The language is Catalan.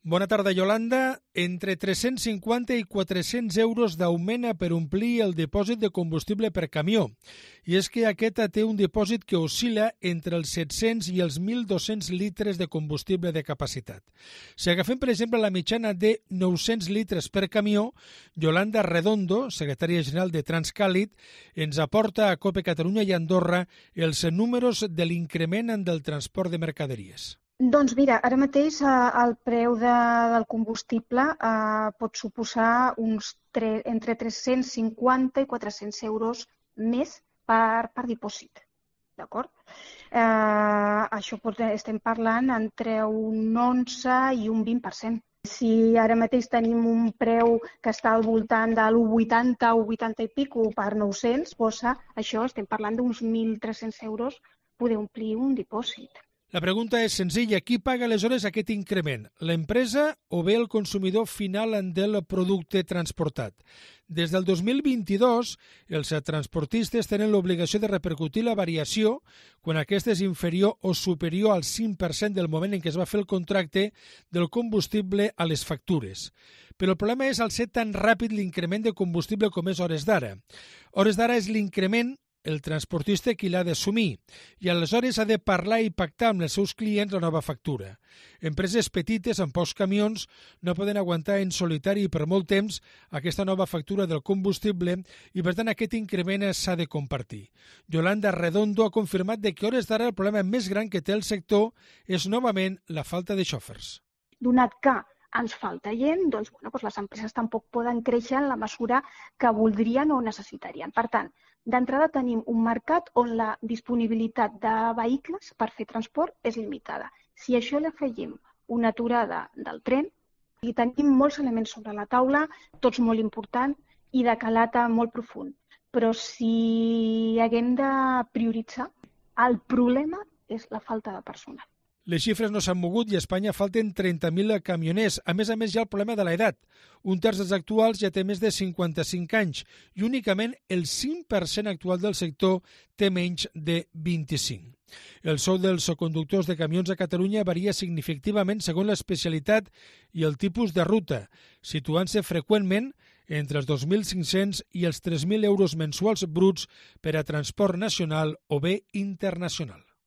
Bona tarda, Yolanda. Entre 350 i 400 euros d'augment per omplir el dipòsit de combustible per camió. I és que aquest té un dipòsit que oscil·la entre els 700 i els 1.200 litres de combustible de capacitat. Si agafem, per exemple, la mitjana de 900 litres per camió, Yolanda Redondo, secretària general de Transcàlid, ens aporta a COPE Catalunya i Andorra els números de l'increment del transport de mercaderies. Doncs mira, ara mateix el preu del combustible pot suposar entre 350 i 400 euros més per dipòsit, d'acord? Això estem parlant entre un 11 i un 20%. Si ara mateix tenim un preu que està al voltant de l'1,80 o 80 i pico per 900, això estem parlant d'uns 1.300 euros poder omplir un dipòsit. La pregunta és senzilla. Qui paga aleshores aquest increment? L'empresa o bé el consumidor final del producte transportat? Des del 2022, els transportistes tenen l'obligació de repercutir la variació quan aquesta és inferior o superior al 5% del moment en què es va fer el contracte del combustible a les factures. Però el problema és al ser tan ràpid l'increment de combustible com és hores d'ara. Hores d'ara és l'increment el transportista qui l'ha d'assumir i aleshores ha de parlar i pactar amb els seus clients la nova factura. Empreses petites amb pocs camions no poden aguantar en solitari per molt temps aquesta nova factura del combustible i per tant aquest increment s'ha de compartir. Yolanda Redondo ha confirmat que hores d'ara el problema més gran que té el sector és novament la falta de xòfers. Donat que ens falta gent, doncs les empreses tampoc poden créixer en la mesura que voldrien o necessitarien. Per tant, d'entrada tenim un mercat on la disponibilitat de vehicles per fer transport és limitada. Si a això li afegim una aturada del tren, i tenim molts elements sobre la taula, tots molt importants i de calat molt profund. Però si haguem de prioritzar, el problema és la falta de personal. Les xifres no s'han mogut i a Espanya falten 30.000 camioners. A més, hi ha el problema de l'edat. Un terç dels actuals ja té més de 55 anys i únicament el 5% actual del sector té menys de 25. El sou dels conductors de camions a Catalunya varia significativament segons l'especialitat i el tipus de ruta, situant-se freqüentment entre els 2.500 i els 3.000 euros mensuals bruts per a transport nacional o bé internacional.